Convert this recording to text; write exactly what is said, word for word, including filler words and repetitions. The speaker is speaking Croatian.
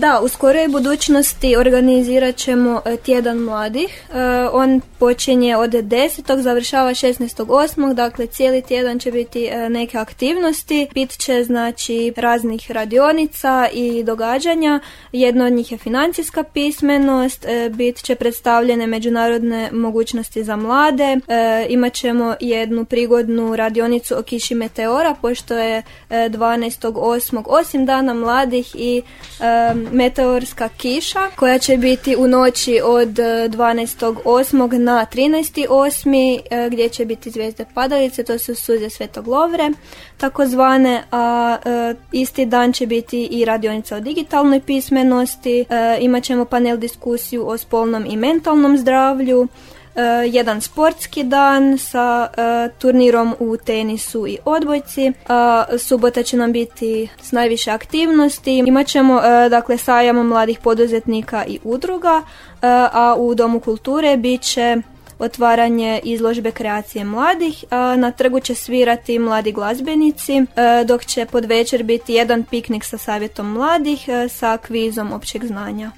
Da, u skoroj budućnosti organizirat ćemo tjedan mladih. On počinje od desetog završava šesnaestog osmog Dakle, cijeli tjedan će biti neke aktivnosti. Bit će, znači, raznih radionica i događanja. Jedno od njih je financijska pismenost. Bit će predstavljene međunarodne mogućnosti za mlade. Imat ćemo jednu prigodnu radionicu o kiši meteora, pošto je dvanaestog osmog osim Dana mladih i meteorska kiša koja će biti u noći od dvanaestog osmog na trinaesti osmi gdje će biti zvijezde padalice, to su suze Svetog Lovre takozvane, a e, isti dan će biti i radionica o digitalnoj pismenosti, e, imat ćemo panel diskusiju o spolnom i mentalnom zdravlju, Uh, jedan sportski dan sa uh, turnirom u tenisu i odbojci. Uh, subota će nam biti s najviše aktivnosti. Imat ćemo uh, dakle sajam mladih poduzetnika i udruga, uh, a u Domu kulture bit će otvaranje izložbe kreacije mladih. A na trgu će svirati mladi glazbenici, dok će pod večer biti jedan piknik sa savjetom mladih sa kvizom općeg znanja.